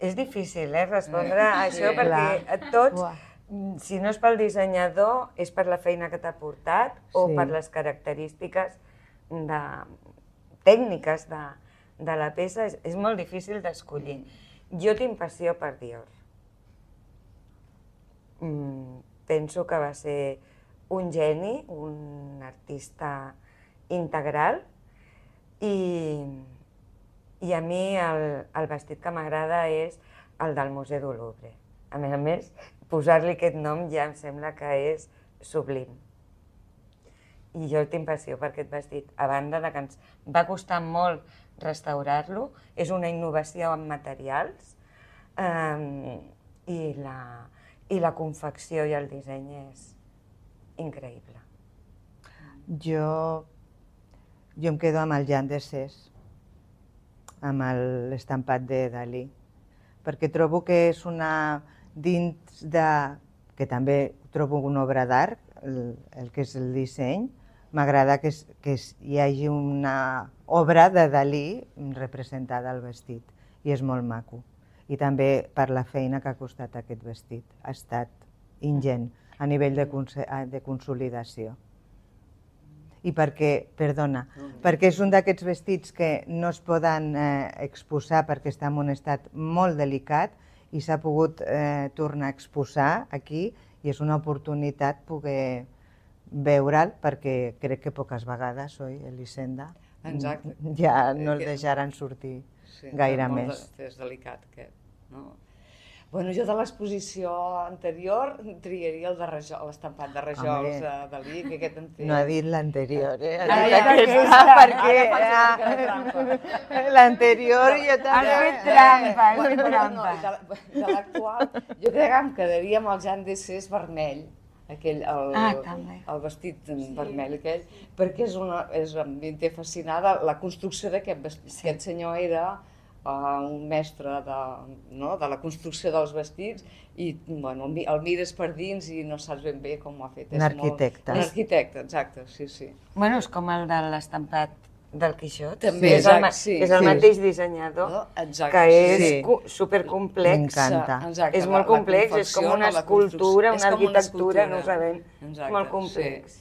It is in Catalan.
És difícil respondre a això perquè tots, si no és pel dissenyador, és per la feina que t'ha portat o per les característiques tècniques de la peça. És molt difícil d'escollir. Jo tinc passió per Dior. Penso que va ser un geni, un artista integral i a mi el vestit que m'agrada és el del Museu du Louvre. A més, posar-li aquest nom ja em sembla que és sublim. I jo tinc passió per aquest vestit, a banda que ens va costar molt restaurar-lo, és una innovació en materials i la confecció i el disseny és increïble. Jo em quedo amb el Jean d'Essès, amb l'estampat de Dalí, perquè trobo que és dins de... que també trobo una obra d'art, el que és el disseny. M'agrada que hi hagi una obra de Dalí representada al vestit, i és molt maco. I també per la feina que ha costat aquest vestit. Ha estat ingent a nivell de consolidació. I perquè és un d'aquests vestits que no es poden exposar perquè està en un estat molt delicat i s'ha pogut tornar a exposar aquí i és una oportunitat poder veure'l perquè crec que poques vegades, oi, Elisenda? Exacte. Ja no el deixaran sortir gaire més. És delicat aquest, no? Bueno, jo de l'exposició anterior triaria l'estampat de rajols de Dalí, que aquest en té... No ha dit l'anterior, Ha dit aquesta, perquè l'anterior jo també... Has fet trampa, has fet trampa. De l'actual, jo crec que em quedaria amb el Jean d'Essès vermell, el vestit vermell aquell, perquè em té fascinada la construcció d'aquest vestit. Aquest senyor era un mestre de la construcció dels vestits i el mires per dins i no saps ben bé com ho ha fet. Un arquitecte. Un arquitecte, exacte, sí. Bueno, és com el de l'estampat del Quixot. També, és el mateix dissenyador, que és supercomplex. M'encanta. És molt complex, és com una escultura, una arquitectura, no ho sabem. És molt complex.